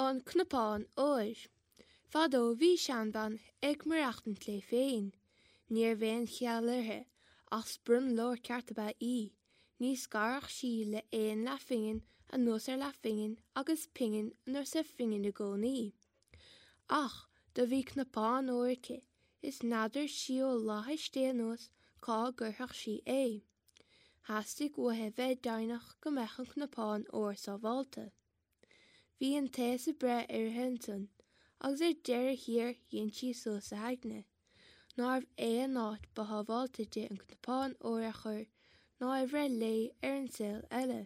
An Cnapán Óir. Fadó bhí seanbhean ag maireachtaint léi féin. Ní raibh aon cheal uirthi, ach sprionlóir ceart ab ea í. Ní scarfadh sí le aon leathphingin anuas ar leathphingin agus pingin anuas ar phingin i gcónaí. Ach do bhí cnapán óir aici is n'fheadar sí ó fhlaithis Dé anuas cá gcuirfeadh sí é. Theastaigh uaithi bheith deimhneach go mbeadh an cnapán óir sábhálta. Bhí an t-aos ag breith uirthi ansan agus ar deireadh thiar dhein sí suas a haigne nárbh é an áit ba shábháilte di an cnapán óir a chur ná é bhreith léi ar an saol eile.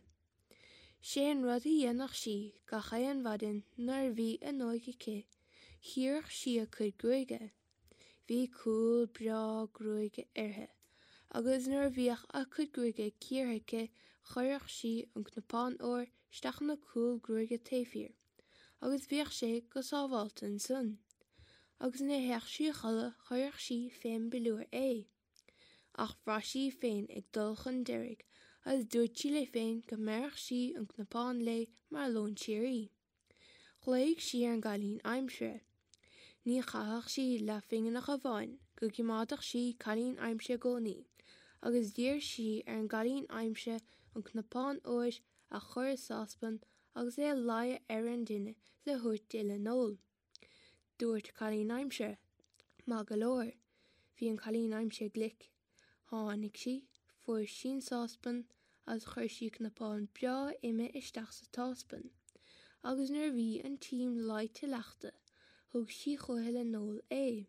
Sé an rud a dhéanfadh sí gach aon mhaidin nuair a bhí an óige aici, chíoradh sí a cuid gruaige. Bhí cúl breá gruaige uirthi agus nuair a bhíodh a cuid gruaige cíortha aici chuireadh sí an cnapán óir isteach ina cúl gruaige taobh thiar agus bhíodh sé go sábhálta ansan. Agus nuair a théadh sí a chodladh chuireadh sí fén bpiliúr é. Ach bhraith sí í féin ag dul chun deiridh agus dúirt sí léi féin go mbéarfadh sí an cnapán léi mar lón síoraí. Ghlaoigh sí ar an gcailín aimsire. Ní chaithfeadh sí leathphingin ach amháin go gcimeádfadh sí cailín aimsire i gcónaí, agus d'iarr sí ar an gcailín aimsire an cnapán óir a chur i sáspan agus é a leigheadh ar an dtine is a thabhairt di le n-ól. Dúirt cailín aimsire, Maith go leor. Bhí an cailín aimsire glic. Tháinig sí, fuair sí an sáspan agus chuir sí cnapán breá ime isteach sa tsáspan, agus nuair a bhí an t-im leáite leachta, thug sí chúithi le n-ól é.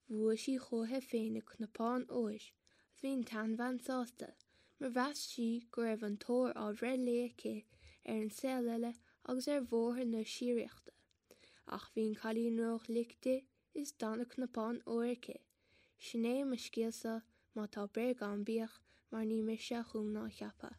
Bhuaigh sí chúithi féin a cnapán óir agus bhí an tseanbhean sásta, mar mheas sí go raibh an t-ór á bhreith léi aici ar an saol eile agus ar bhóthar na síoraíochta. Ach bhí an cailín ró-ghlic di is d'fhan a cnapán óir aici. Sin é mo scéalsa, má tá bréag ann bíodh, mar ní mise a chum ná a cheap é.